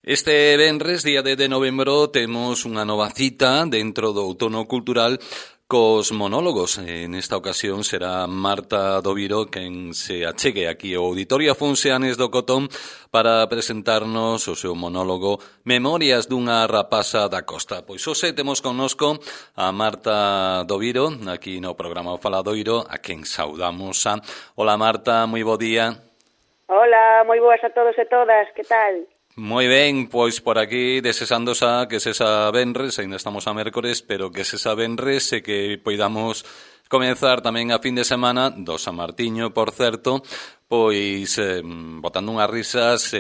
Este venres, día de novembro, temos unha nova cita dentro do outono cultural cos monólogos. En esta ocasión será Marta Doviro quen se achegue aquí ao Auditorio Afonso Anes do Cotón para presentarnos o seu monólogo Memorias dunha rapaza da costa. Pois hoxe temos connosco a Marta Doviro, aquí no programa Faladoiro, a quen saudamos. Hola Marta, moi bo día. Hola, moi boas a todos e todas, que tal? Moi ben, pois por aquí desexando xa que sesa venres, ainda estamos a mércores, pero que sesa venres e que poidamos comenzar tamén a fin de semana do San Martiño, por certo, pois botando unhas risas,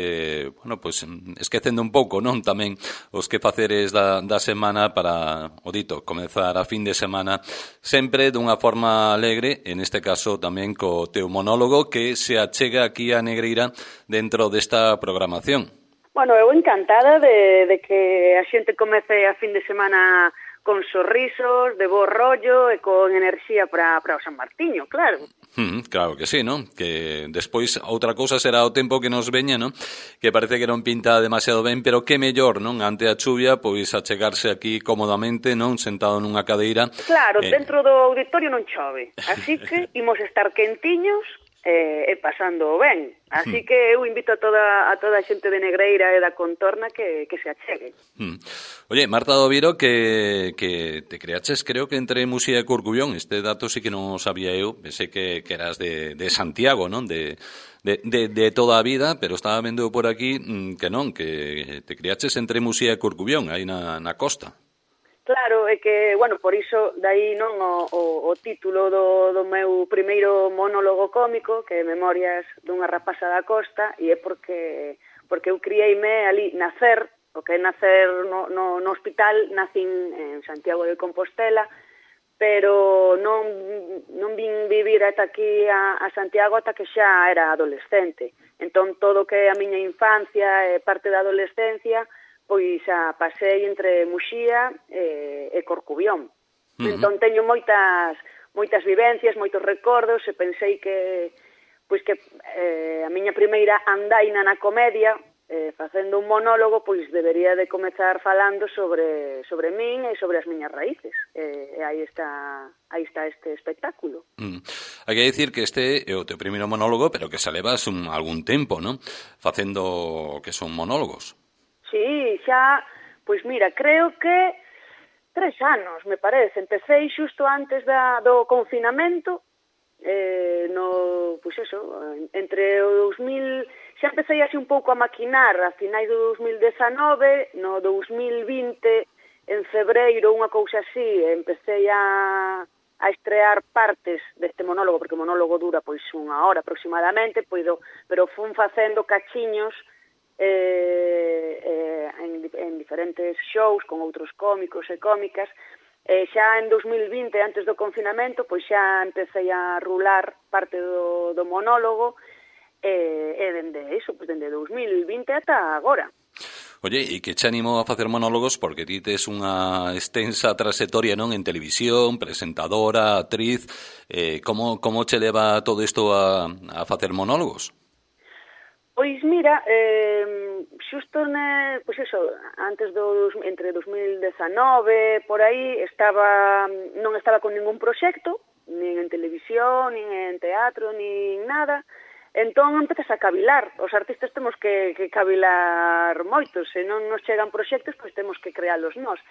pois esquecendo un pouco, non, tamén os que faceres da semana para, o dito, comezar a fin de semana sempre dunha forma alegre, en este caso tamén co teu monólogo que se achega aquí a Negreira dentro desta programación. Bueno, eu encantada de que a xente comece a fin de semana con sorrisos, de bo rollo e con enerxía para o San Martiño, claro. Claro que sí, non? Que despois outra cousa será o tempo que nos veña, non? Que parece que non pinta demasiado ben, pero que mellor, non? Ante a chuvia, pois achegarse aquí cómodamente, non? Sentado nunha cadeira. Claro, dentro do auditorio non chove, así que imos estar quentiños e pasando ben. Así que eu invito a toda a xente de Negreira e da contorna que se achegue. Oye, Marta Doviro, que te creaches, creo que entre Muxía e Corcubión. Este dato sí que non sabía eu. Pensei que eras de Santiago, non? De toda a vida, pero estaba vendo por aquí que non, que te creaches entre Muxía e Corcubión, aí na costa. Claro, é que, bueno, por iso, dai non o título do meu primeiro monólogo cómico, que é Memorias dunha rapaza da costa, e é porque eu criei-me ali, nacer, o que é nacer no hospital, nacín en Santiago de Compostela, pero non vin vivir ata aquí a Santiago ata que xa era adolescente. Entón, todo que é a miña infancia e parte da adolescencia, pois a pasei entre Muxía e Corcubión. Entón teño moitas vivencias, moitos recordos, e pensei que a miña primeira andaina na comedia, facendo un monólogo, pois debería de comezar falando sobre min e sobre as miñas raíces. E aí está este espectáculo. Hai que dicir que este é o teu primeiro monólogo, pero que xa levas algún tempo, non? Facendo que son monólogos. Sí, xa, pois mira, creo que 3 anos, me parece. Empecé xusto antes do confinamento, pois eso, entre o 2000, xa empecé así un pouco a maquinar a finais do 2019, no 2020, en febreiro, unha cousa así, empecé a estrear partes deste monólogo, porque o monólogo dura pois 1 hora aproximadamente, pero fun facendo cachiños en diferentes shows con outros cómicos e cómicas. Xa en 2020, antes do confinamento, pois xa empecé a rular parte do monólogo e dende 2020 ata agora. Oye, e que che animou a facer monólogos porque ti tes unha extensa trayectoria, non, en televisión, presentadora, actriz. Como che leva todo isto a facer monólogos? Pois mira, xusto pois eso, antes entre 2019, por aí, non estaba con ningún proxecto, nin en televisión, nin en teatro, nin nada. Entón empezas a cavilar. Os artistas temos que cavilar moitos, se non nos chegan proxectos, pois temos que crealos nós.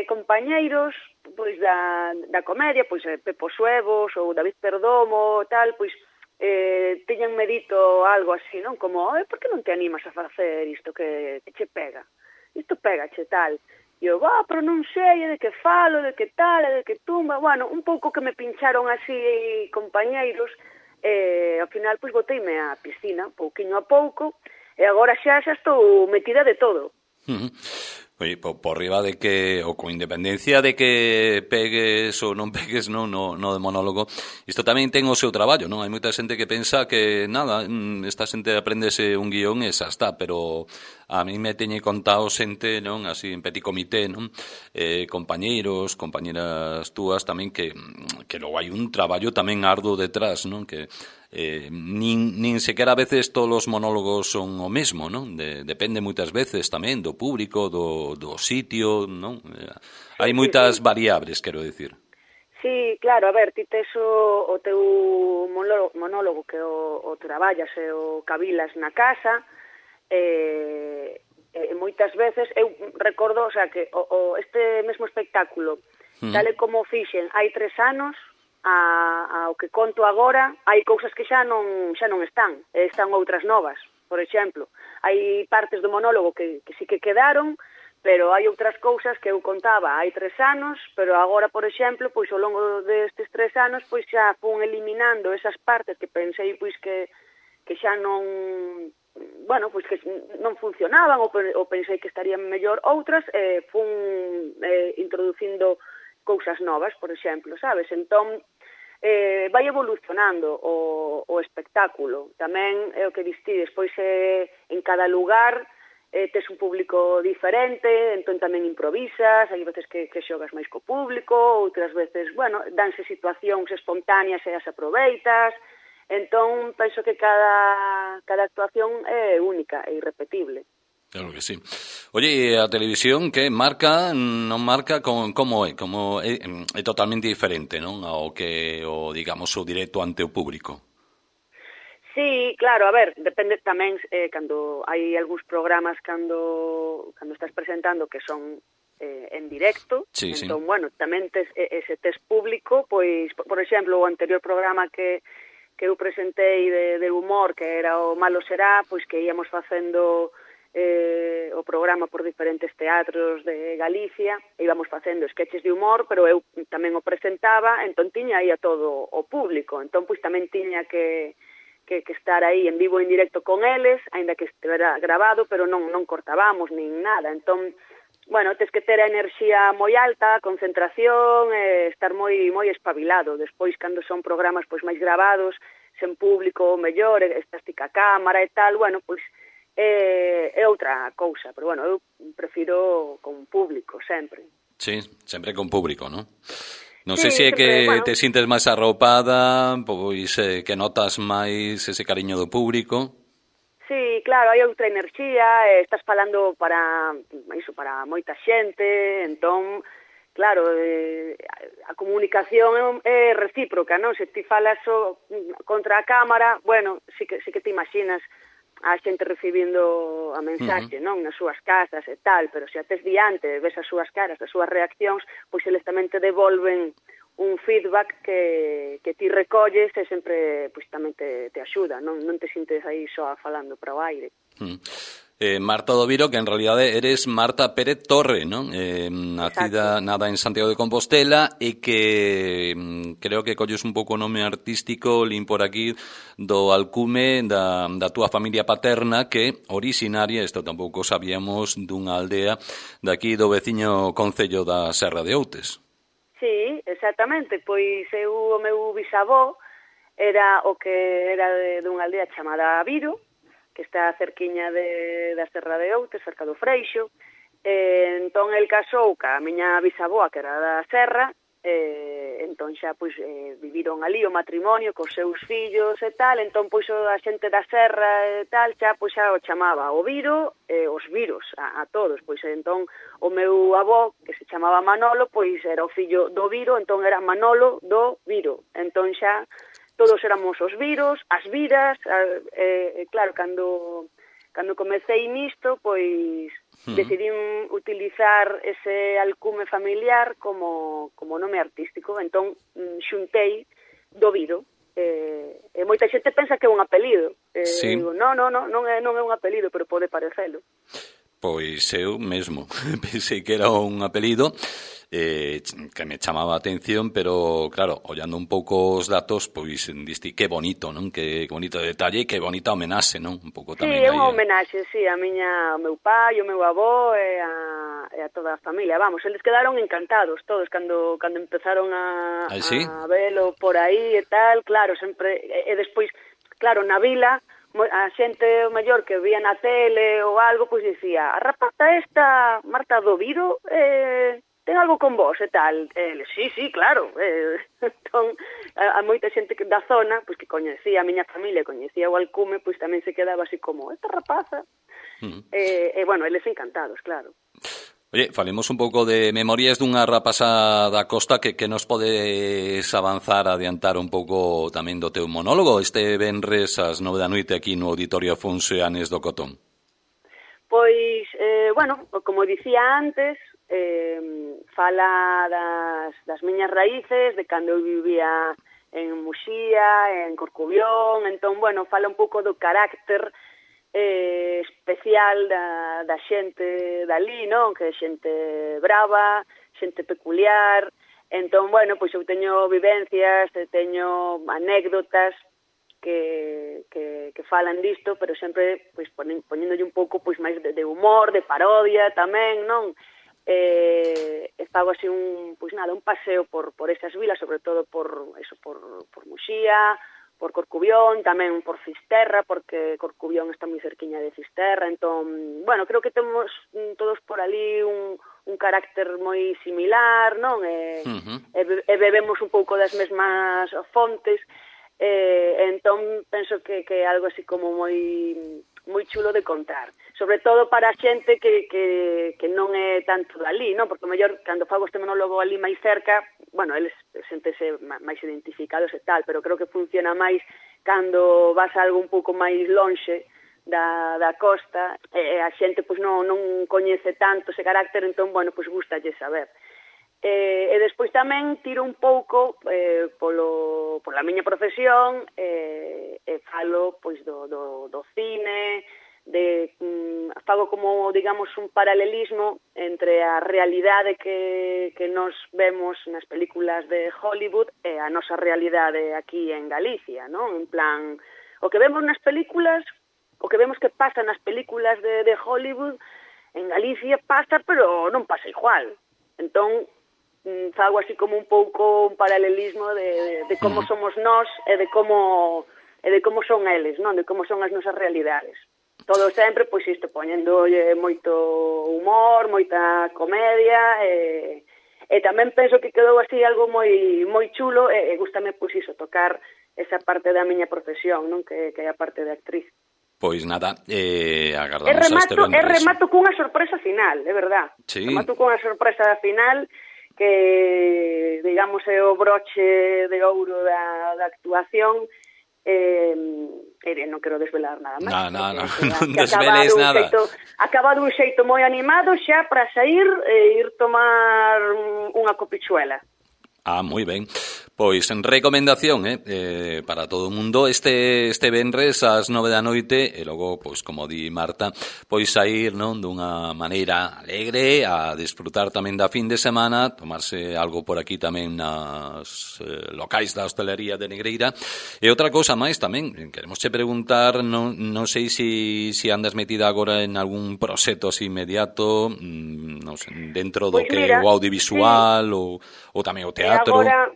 Compañeiros pois da comedia, pois Pepo Suevos ou David Perdomo, tal, pois teñanme dito algo así, non? Como, por que non te animas a facer isto que che pega? Isto pega che tal. E eu, pero non sei, de que falo, de que tal, de que tumba. Bueno, un pouco que me pincharon así compañeiros, ao final, pois, boteime á piscina, pouquiño a pouco, e agora xa estou metida de todo. Oye, por riba de que, ou con independencia de que pegues ou non pegues no de monólogo, isto tamén ten o seu traballo, non? Hai moita xente que pensa que, nada, esta xente aprendese un guión e xa está, pero a mí me teñe contado xente, non? Así, en petit comité, non? Compañeiros, compañeras túas tamén que logo hai un traballo tamén arduo detrás, non? Que nin sequera a veces todos os monólogos son o mesmo, non? Depende moitas veces tamén do público, do sitio, non? Hai moitas variables, quero dicir. Sí, claro, a ver, ti tes o teu monólogo que o traballas e o cavilas na casa, moitas veces, eu recordo, o sea, que este mesmo espectáculo, tal e como fixen hai 3 anos, ao que conto agora, hai cousas que xa non están outras novas. Por exemplo, hai partes do monólogo que sí que quedaron, pero hai outras cousas que eu contaba hai 3 anos, pero agora, por exemplo, pois ao longo destes 3 anos, pois xa fun eliminando esas partes que pensei pois que xa non, bueno, pois que non funcionaban ou pensei que estarían mellor, outras fun introducindo cousas novas, por exemplo, sabes? Entón, vai evolucionando o espectáculo. Tamén é o que distides, pois en cada lugar tes un público diferente, entón tamén improvisas, hai veces que xogas máis co público, outras veces, bueno, danse situacións espontáneas e as aproveitas, entón penso que cada actuación é única e irrepetible. Claro que sí. Oye, a televisión que marca, non marca, como é? Como é totalmente diferente, non? Ao que, digamos, o directo ante o público. Sí, claro, a ver, depende tamén cando hai algúns programas cando estás presentando que son en directo, sí, entón, bueno, tamén ese tes público, pois, por exemplo, o anterior programa que eu presentei de humor, que era o Malo Será, pois que íamos facendo o programa por diferentes teatros de Galicia, íbamos facendo sketches de humor, pero eu tamén o presentaba, entón tiña aí a todo o público, entón pois tamén tiña que estar aí en vivo e en directo con eles, aínda que estivera grabado, pero non cortábamos nin nada, entón, bueno, tes que ter a enerxía moi alta, concentración, estar moi espabilado. Despois, cando son programas pois máis grabados, sen público, mellor, estás ti ca cámara e tal, bueno, pois é outra cousa, pero bueno, eu prefiro con público sempre. Sí, sempre con público, non? Non sí, sei se é que bueno, te sintes máis arropada, pois que notas máis ese cariño do público. Sí, claro, hai outra enerxía, estás falando para moita xente, entón, claro, a comunicación é recíproca, non? Se ti falas contra a cámara, bueno, sí que te imaginas a xente recibindo a mensaxe, non, nas súas casas e tal, pero se a tes diante, ves as súas caras, as súas reaccións, pois eles tamén te devolven un feedback que ti recolles e sempre pois tamén te axuda, non te sintes aí só falando para o aire. Marta do Viro, que en realidade eres Marta Pérez Torre, non? Nacida nada en Santiago de Compostela e que creo que colles un pouco o nome artístico lin por aquí do alcume da túa familia paterna, que originaria, isto tampouco sabíamos, dunha aldea daqui do veciño concello da Serra de Outes. Sí, exactamente, pois o meu bisavó era o que era dunha aldea chamada Viro, que está cerquiña da Serra de Outes, cerca do Freixo. Entón, el casou ca miña bisavoa, que era da Serra, entón xa pois viviron ali o matrimonio cos seus fillos e tal, entón pois a xente da Serra e tal, xa pois xa o chamaba o Viro e os Viros a todos, pois entón o meu avó, que se chamaba Manolo, pois era o fillo do Viro, entón era Manolo do Viro, entón xa todos éramos os Viros, as Viras, claro, cando comecei nisto, pois decidín utilizar ese alcume familiar como nome artístico, entón xuntei do Viro, e moita xente pensa que é un apelido, sí. Digo, non é un apelido, pero pode parecelo. Pois eu mesmo pensei que era un apelido que me chamaba a atención, pero claro, ollando un pouco os datos, pois diste que bonito, non? Que bonito detalle e que bonita homenaxe, non? Un pouco tamén. Sí, é unha homenaxe, sí, ao meu pai, ao meu avó e a toda a familia. Vamos, eles quedaron encantados todos cando empezaron a velo por aí e tal, claro, sempre e despois, claro, na vila a xente maior que vía na tele ou algo, pois dicía, a rapaza esta, Marta do Viro, ten algo con vos e tal. Sí, claro. Entón, a moita xente da zona, pois que coñecía a miña familia, coñecía o Alcume, pois tamén se quedaba así como, esta rapaza. Bueno, eles encantados, claro. Oye, falemos un pouco de Memorias dunha rapasa da costa que nos podes avanzar, adiantar un pouco tamén do teu monólogo este venres ás 9 da noite aquí no Auditorio Afonso Anes do Cotón. Pois, bueno, como dicía antes, fala das miñas raíces, de cando eu vivía en Muxía, en Corcubión, entón, bueno, fala un pouco do carácter especial da xente dali, non? Que é xente brava, xente peculiar. Entón, bueno, pois eu teño vivencias, teño anécdotas que falan disto, pero sempre pois poñéndolle un pouco pois máis de humor, de parodia tamén, non? Fago así un paseo por esas vilas, sobre todo por Muxía, por Corcubión, tamén por Fisterra, porque Corcubión está moi cerquiña de Fisterra, entón, bueno, creo que temos todos por ali un carácter moi similar, non? E bebemos un pouco das mesmas fontes, entón penso que é algo así como moi chulo de contar, sobre todo para a xente que non é tanto dali, non? Porque mellor cando fago este monólogo ali máis cerca, bueno, eles sentese máis identificados e tal, pero creo que funciona máis cando vas a algo un pouco máis lonxe da costa, e a xente pois non coñece tanto ese carácter, entón, bueno, pois gustalle saber. E despois tamén tiro un pouco pola miña profesión, e falo pois do cine, fago como, digamos, un paralelismo entre a realidade que nos vemos nas películas de Hollywood e a nosa realidade aquí en Galicia, non? En plan, o que vemos nas películas, o que vemos que pasa nas películas de Hollywood, en Galicia pasa, pero non pasa igual. Entón, fago así como un pouco un paralelismo de como somos nós e de como son eles, non? De como son as nosas realidades. Todo sempre, pois isto, poñéndolle moito humor, moita comedia, e tamén penso que quedou así algo moi chulo, e gústame, pois iso, tocar esa parte da miña profesión, non? Que é a parte de actriz. Pois nada, agardamos a este venres. Remato cunha sorpresa final, é verdad. Sí. Remato cunha sorpresa final que, digamos, é o broche de ouro da actuación. Non quero desvelar nada máis. Non desveles nada. Acaba dun xeito moi animado xa para sair e ir tomar unha copichuela. Moi ben. Pois en recomendación, para todo o mundo este venres ás 9 da noite e logo, pois como di Marta, pois sair, non, dunha maneira alegre a desfrutar tamén da fin de semana, tomarse algo por aquí tamén nas locais da hostelería de Negreira. E outra cousa máis tamén, queremos che preguntar, non sei se andas metida agora en algún proxecto así inmediato, non sei, dentro do que o audiovisual, sí, ou tamén o teatro. Agora,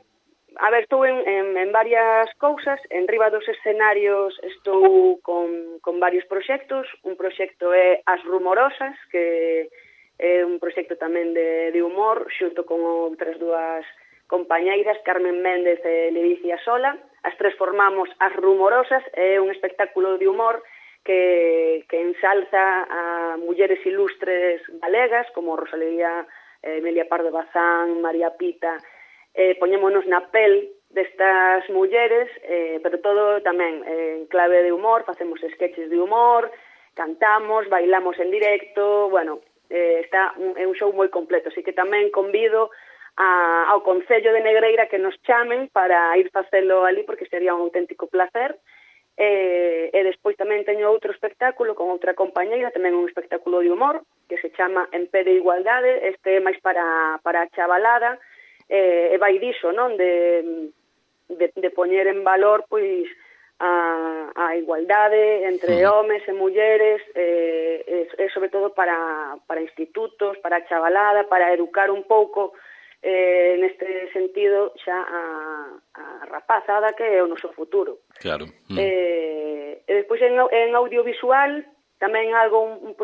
a ver, estou en varias cousas, en riba dos escenarios estou con varios proxectos. Un proxecto é As Rumorosas, que é un proxecto tamén de humor, xunto con outras dúas compañeiras, Carmen Méndez e Ledicia Sola. As tres formamos As Rumorosas, é un espectáculo de humor que ensalza a mulleres ilustres galegas, como Rosalía, Emilia Pardo Bazán, María Pita. Poñémonos na pel destas mulleres, pero todo tamén en clave de humor, facemos sketches de humor, cantamos, bailamos en directo, bueno, é un show moi completo, así que tamén convido ao Concello de Negreira que nos chamen para ir facelo ali, porque sería un auténtico placer. E despois tamén teño outro espectáculo con outra compañeira, tamén un espectáculo de humor, que se chama En Pé de Igualdade, este é máis para a chavalada, e vai diso, non? De poñer en valor, pois, a igualdade entre homes e mulleres, e sobre todo para institutos, para a chavalada, para educar un pouco neste sentido xa a rapazada que é o noso futuro. Claro. E despois en audiovisual tamén un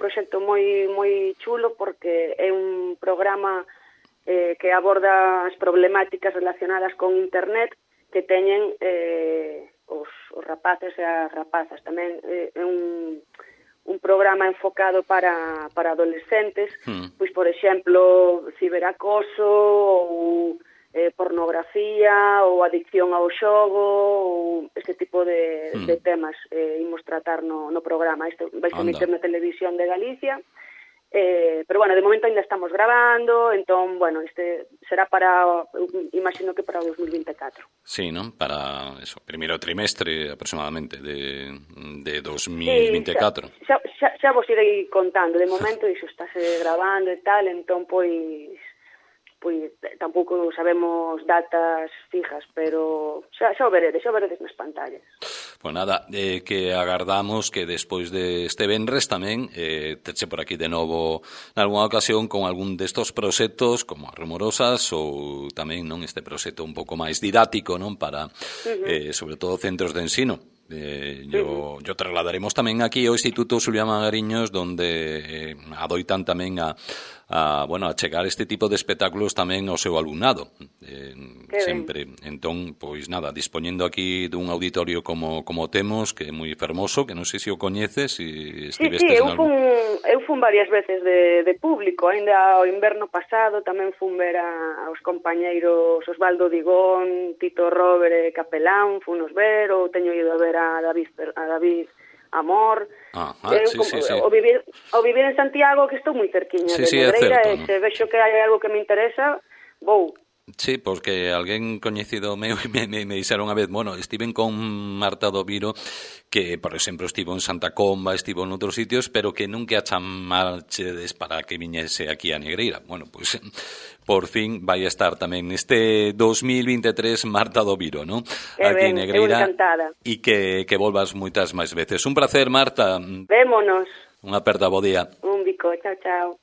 proxecto moi chulo, porque é un programa que aborda as problemáticas relacionadas con internet que teñen os rapaces e as rapazas. Tamén é un programa enfocado para adolescentes, pois, por exemplo, ciberacoso ou pornografía ou adicción ao xogo ou este tipo de temas imos tratar no programa. Isto vai se emitir na televisión de Galicia, pero, bueno, de momento ainda estamos grabando, entón, bueno, este será para, imagino que para o 2024. Sí, non? Para eso, primeiro trimestre aproximadamente de 2024. Sí, xa vos irei contando. De momento iso estáse grabando e tal, entón, pois tampouco sabemos datas fijas, pero xa o veredes nas pantallas. Pues nada, que agardamos que despois deste venres tamén teche por aquí de novo nalgúna ocasión con algún destos proxectos como as Rumorosas ou tamén non este proxecto un pouco máis didáctico, non, para sobre todo centros de ensino. Yo trasladaremos tamén aquí ao Instituto Xulián Magariños, donde adoitan tamén a chegar este tipo de espectáculos tamén ao seu alumnado, sempre. Entón, pois nada, dispoñendo aquí dun auditorio como temos, que é moi fermoso, que non sei se o coñeces, se estivestes en algún... Eu fun varias veces de público, ainda ao inverno pasado tamén fun ver aos compañeiros Osvaldo Digón, Tito Robert e Capelán, funos ver, ou teño ido a ver a David Amor. Sí. O vivir en Santiago, que estou moi cerquiña de Negreira, e se vexo que hai algo que me interesa, vou. Sí, porque alguén coñecido meu me dixeron unha vez, bueno, estiven con Marta Doviro, que, por exemplo, estivo en Santa Comba, estivo en outros sitios, pero que nunca a chamarchedes para que viñese aquí a Negreira. Bueno, pois, por fin vai estar tamén neste 2023 Marta Doviro, non? Aquí en Negreira. Encantada. E que volvas moitas máis veces. Un placer, Marta. Vémonos. Unha aperta, bo día. Un bico, chao, chao.